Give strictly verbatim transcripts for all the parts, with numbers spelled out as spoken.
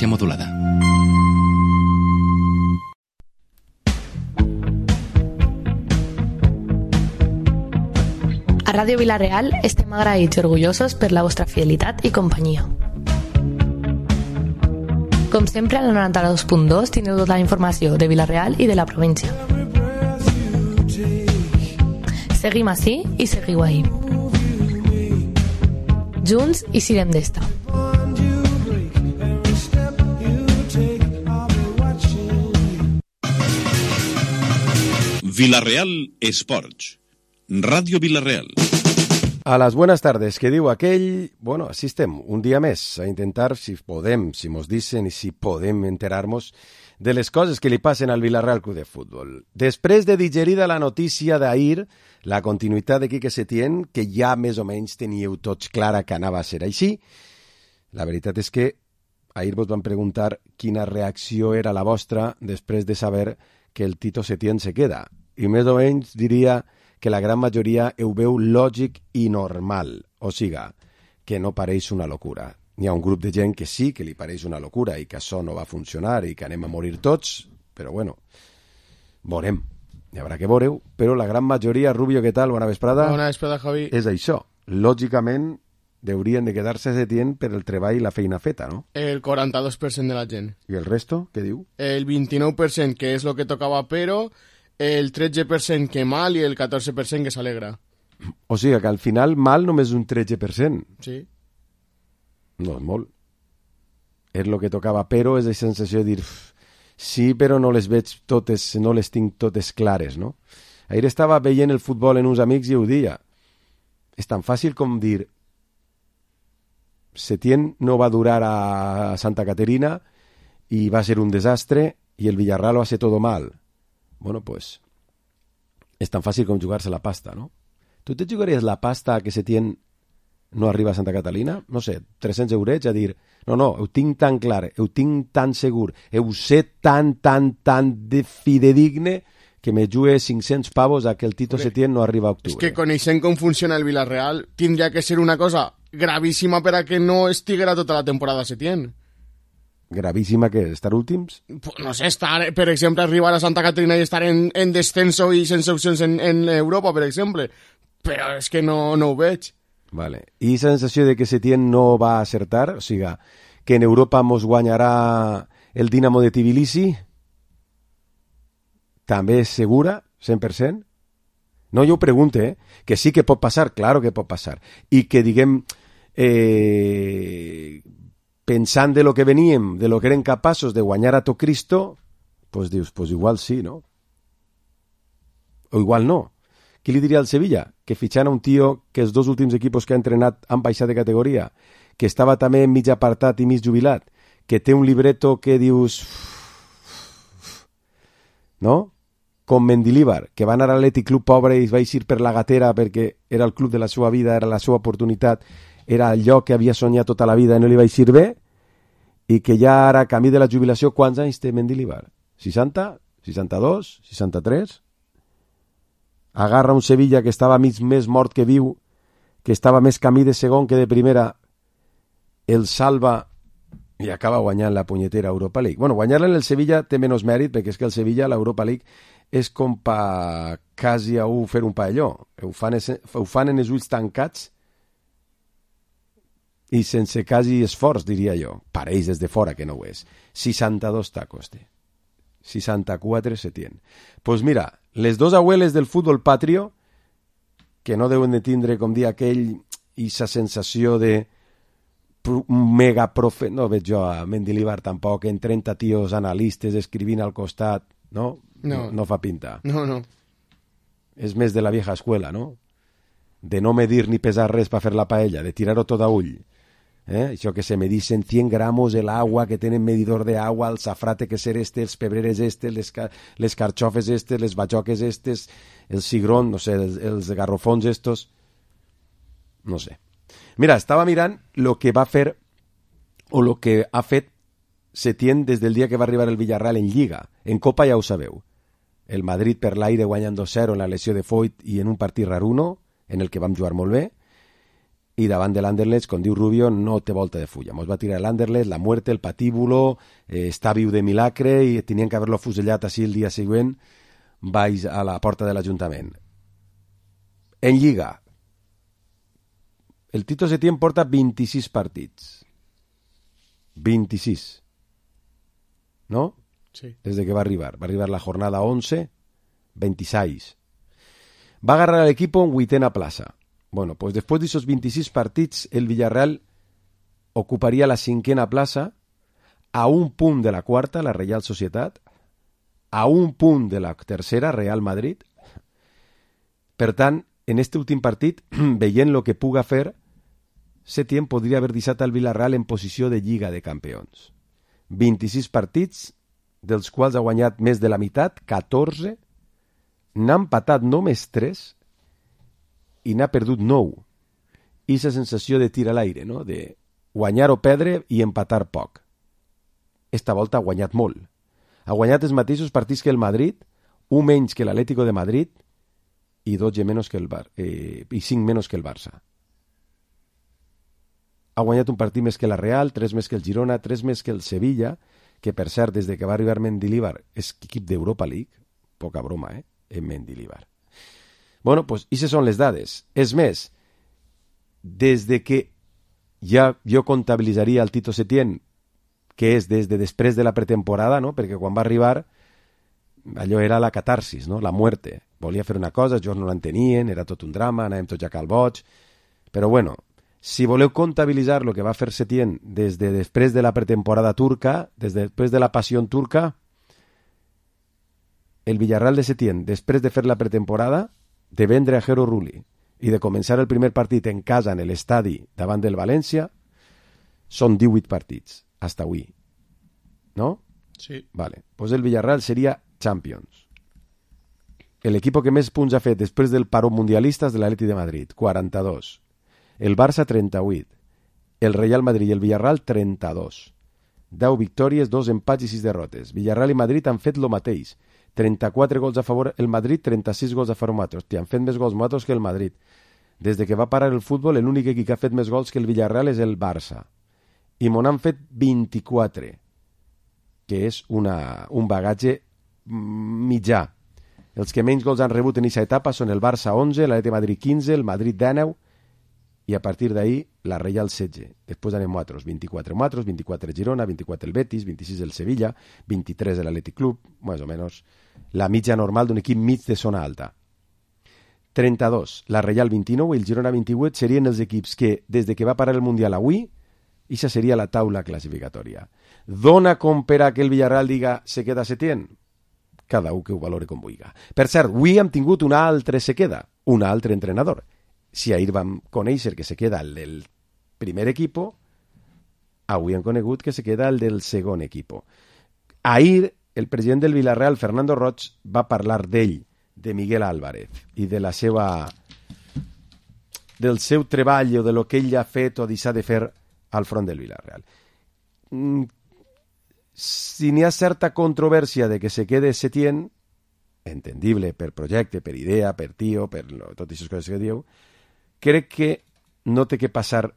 modulada. A Ràdio Vila-real estem agraïts i orgullosos per la vostra fidelitat i companyia. Com sempre, a la noranta-dos punt dos tindreu tota la informació de Vila-real i de la província. Seguim ací i seguiu ahí. Junts i sirem d'esta. Vila-real Esports. Radio Vila-real. A las buenas tardes, que diu aquell... Bueno, així estem, un dia més, a intentar, si podem, si mos dicen i si podem enterar-nos de les coses que li passen al Vila-real Club de Futbol. Després de digerida la notícia d'ahir, la continuïtat de Quique Setién, que ja més o menys teníeu tots clara que anava a ser així, la veritat és que ahir vos van preguntar quina reacció era la vostra després de saber que el Tito Setién se queda. I més o menys diria que la gran majoria ho veu lògic i normal, o siga, que no pareix una locura. Hi ha un grup de gent que sí que li pareix una locura i que això no va funcionar i que anem a morir tots, però bueno, veurem, hi haurà que veure-ho, però la gran majoria, Rubio, què tal? Bona vesprada. Bona vesprada, Javi. És això, lògicament haurien de quedar-se a Setién per el treball i la feina feta, no? El quaranta-dos per cent de la gent. I el resto, què diu? El vint-i-nou per cent, que és el que tocava, però el tretze per cent que mal i el catorze per cent que s'alegra. O sigui que al final mal només un tretze per cent. Sí. No és molt. És el que tocava, però és la sensació de dir sí, però no les veig totes, no les tinc totes clares, no? Ahir estava veient el futbol en uns amics i ho dia. És tan fàcil com dir Setién no va durar a Santa Caterina i va ser un desastre i el Villarreal va ser todo mal. Bueno, pues és tan fàcil com jugar-se la pasta, no? Tu te jugaries la pasta que Setién no arriba a Santa Catalina? No sé, tres-cents eurets a dir, no, no, ho tinc tan clar, ho tinc tan segur, ho sé tan, tan, tan de fidedigne que me jugue cinc-cents pavos a que el Tito Setién no arriba a octubre. És que coneixent com funciona el Villarreal, tindria que ser una cosa gravíssima per a que no estiguera tota la temporada Setién. Gravíssima que estar últims? No sé, estar, per exemple, arribar a Santa Caterina i estar en, en descenso i sense opcions en, en Europa, per exemple. Però és que no, no ho veig. Vale. I la sensació de que Setién no va acertar? O sigui, que en Europa mos guanyarà el Dinamo de Tbilisi? També és segura? cent per cent? No, jo ho pregunte, eh? Que sí que pot passar, claro que pot passar. I que, diguem... Eh... pensant de lo que veníem, de lo que eren capaços de guanyar a to Cristo, pues dius, pues igual sí, no? O igual no. Qui li diria al Sevilla? Que fitxant a un tio que els dos últims equipos que ha entrenat han baixat de categoria, que estava també mig apartat i mig jubilat, que té un libreto que dius... No? Com Mendilibar, que va anar a l'Atlètic Club pobre i va eixir per la gatera perquè era el club de la seva vida, era la seva oportunitat, era el lloc que havia soñat tota la vida i no li va eixir bé, i que ja ara, camí de la jubilació, quants anys té Mendilibar? seixanta? seixanta-dos? seixanta-tres? Agarra un Sevilla que estava mig més mort que viu, que estava més camí de segon que de primera, el salva i acaba guanyant la punyetera Europa League. Bueno, guanyar-la en el Sevilla té menys mèrit, perquè és que el Sevilla, l'Europa League, és com pa quasi a un fer un paelló. Ho fan, ho fan en els ulls tancats i sense quasi esforç, diria jo. Pareix des de fora que no ho és. seixanta-dos tacos té. seixanta-quatre Setién. Doncs pues mira, les dos abueles del futbol patrio, que no deuen de tindre, com dir aquell, i sa sensació de mega profe... No veig jo a Mendilibar tampoc, en trenta tios analistes escrivint al costat, no? No, no, no fa pinta. No, no. És més de la vieja escuela, no? De no medir ni pesar res per fer la paella, de tirar-ho tot a ull. ¿Eh? Això que se medicen cien gramos el agua, que tenen medidor de agua, el safrate que ser este, els pebreres este, les, les carxofes estes, les bajoques estes, el cigrón, no sé, els, els garrofons estos, no sé. Mira, estava mirant lo que va fer o lo que ha fet Setién des del dia que va arribar el Villarreal en Lliga. En Copa ja ho sabeu. El Madrid per l'aire guanyant dos zero en la lesió de Foyt i en un partit raruno, en el que vam jugar molt bé. i davant de l'Anderlecht, com diu Rubio, no té volta de fulla. Mos va tirar l'Anderlecht, la muerte, el patíbulo, eh, està viu de milagre i tenien que haver-lo fusellat així el dia següent baix a la porta de l'Ajuntament. En Lliga, el Tito Setién porta vint-i-sis partits. vint-i-sis. ¿No? Sí. Desde que va arribar. Va arribar la jornada once, veintiséis. Va agarrar al equipo en huitena plaza. Bueno, pues después de esos veintiséis partidos, el Villarreal ocuparía la cinquena plaza, a un punt de la quarta, la Real Societat, a un punt de la tercera, Real Madrid. Per tant, en este últim partit, veient el que puga fer, Setién podria haver deixat al Villarreal en posició de Lliga de Campions. vint-i-sis partits, dels quals ha guanyat més de la meitat, catorze, n'ha empatat només tres i n'ha perdut nou. I la sensació de tir a l'aire, no? De guanyar o perdre i empatar poc. Esta volta ha guanyat molt. Ha guanyat els mateixos partits que el Madrid, un menys que l'Atlético de Madrid i dotze menys que el Bar eh, i cinc menys que el Barça. Ha guanyat un partit més que la Real, tres més que el Girona, tres més que el Sevilla, que per cert, des de que va arribar Mendilibar, és equip d'Europa League. Poca broma, eh? En Mendilibar. Bueno, pues, aquestes són les dades. És més, des de que ja jo comptabilitzaria el Tito Setién, que és des de després de la pretemporada, no? Perquè quan va arribar, allò era la catarsis, no? La muerte. Volia fer una cosa, ells no l'entenien, era tot un drama, anàvem tots ja cal boig. Però bueno, si voleu comptabilitzar el que va fer Setién des de després de la pretemporada turca, des de després de la passió turca, el Villarreal de Setién, després de fer la pretemporada, de vendre a Jero Rulli i de començar el primer partit en casa en l'estadi davant del València, són divuit partits, hasta avui. ¿No? Sí. Vale. Pues el Villarreal seria Champions. El equipo que més punts ha fet després del paró mundialista és de l'Atleti de Madrid, quaranta-dos. El Barça, trenta-vuit. El Real Madrid i el Villarreal, trenta-dos. deu victòries, dos empats i sis derrotes. Villarreal i Madrid han fet lo mateix. trenta-quatre gols a favor el Madrid, trenta-sis gols a favor nosaltres. Han fet més gols nosaltres que el Madrid. Des de que va parar el futbol, l'únic equip que ha fet més gols que el Villarreal és el Barça. I mon han fet vint-i-quatre, que és una, un bagatge mitjà. Els que menys gols han rebut en aquesta etapa són el Barça onze, l'Atleti de Madrid quinze, el Madrid dinou, i a partir d'ahí la Real setze. Després anem nosaltres, vint-i-quatre nosaltres, vint-i-quatre el Girona, vint-i-quatre el Betis, vint-i-sis el Sevilla, vint-i-tres l'Atlètic Club, més o menys la mitja normal d'un equip mig de zona alta. trenta-dos, la Real vint-i-nou i el Girona vint-i-vuit serien els equips que, des de que va parar el Mundial avui, ixa seria la taula classificatòria. Dona com per a que el Villarreal diga se queda Setién? Cada un que ho valore com vulgui. Per cert, avui hem tingut un altre se queda, un altre entrenador. Si ahir vam conèixer que se queda el del primer equipo, avui hem conegut que se queda el del segon equipo. Ahir, el president del Villarreal, Fernando Roig, va parlar d'ell, de Miguel Álvarez, i de la seva... del seu treball o de lo que ell ha fet o deixat de fer al front del Villarreal. Mm, si n'hi ha certa controvèrsia de que se quede Setién, entendible per projecte, per idea, per tio, per lo, totes aquestes coses que diu, crec que no té que passar,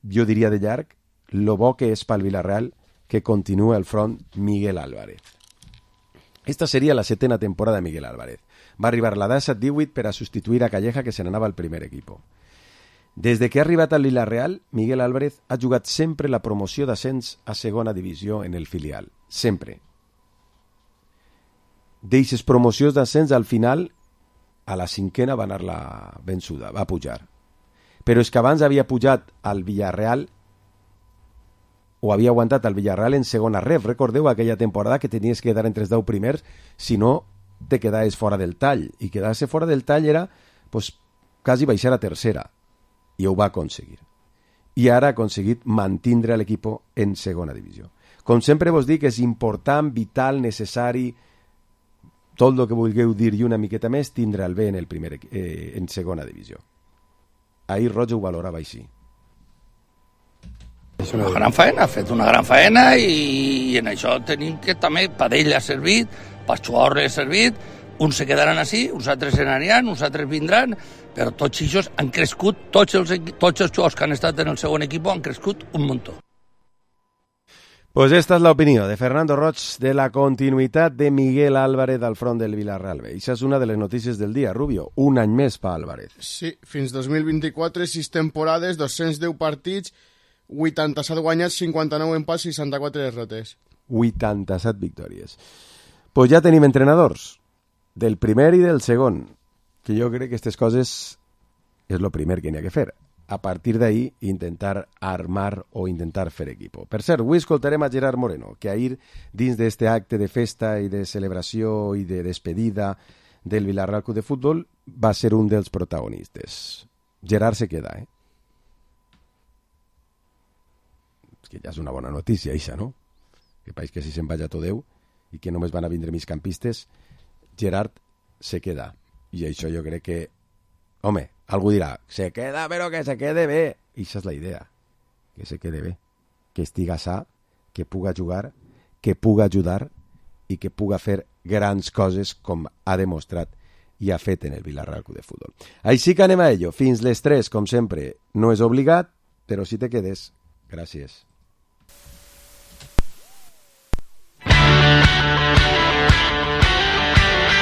jo diria de llarg, lo bo que és pel Villarreal que continua al front Miguel Álvarez. Esta seria la setena temporada de Miguel Álvarez. Va arribar la disset divuit per a substituir a Calleja, que se n'anava al primer equipo. Des de que ha arribat al Villarreal, Miguel Álvarez ha jugat sempre la promoció d'ascens a segona divisió en el filial. Sempre. D'eixes promocions d'ascens, al final, a la cinquena va anar la vençuda, va pujar. Però és que abans havia pujat al Villarreal o havia aguantat al Villarreal en segona ref. Recordeu aquella temporada que tenies que quedar entre els deu primers, si no te quedaves fora del tall. I quedar-se fora del tall era pues, quasi baixar a tercera. I ho va aconseguir. I ara ha aconseguit mantindre l'equip en segona divisió. Com sempre vos dic, és important, vital, necessari, tot el que vulgueu dir i una miqueta més, tindre el bé en, el primer, eh, en segona divisió. Ahir Roig ho valorava així. És una gran faena, ha fet una gran faena i, i en això tenim que també per ell ha servit, per jugar ha servit, uns se quedaran així, uns altres se n'aniran, uns altres vindran, però tots ells han crescut, tots els, tots els jugadors que han estat en el segon equip han crescut un muntó. Pues esta es la opinió de Fernando Roig de la continuïtat de Miguel Álvarez al front del Villarreal B. Això és una de les notícies del dia, Rubio. Un any més per Álvarez. Sí, fins dos mil vint-i-quatre, sis temporades, dos-cents deu partits, vuitanta-set guanyats, cinquanta-nou empats, seixanta-quatre derrotes. vuitanta-set victòries. Pues ja tenim entrenadors, del primer i del segon, que jo crec que aquestes coses és el primer que n'hi ha que fer. A partir d'ahí, intentar armar o intentar fer equipo. Per cert, avui escoltarem a Gerard Moreno, que ahir, dins d'este acte de festa i de celebració i de despedida del Villarreal Club de Futbol, va ser un dels protagonistes. Gerard se queda, eh? És que ja és una bona notícia, això, no? Que país que si se'n vaja tot Déu i que només van a vindre migcampistes, Gerard se queda. I això jo crec que, home, algú dirà, se queda, però que se quede bé. I això és la idea, que se quede bé, que estiga sa, que puga jugar, que puga ajudar i que puga fer grans coses com ha demostrat i ha fet en el Villarreal Club de Futbol. Així que anem a ello. Fins les tres, com sempre, no és obligat, però si te quedes, gràcies.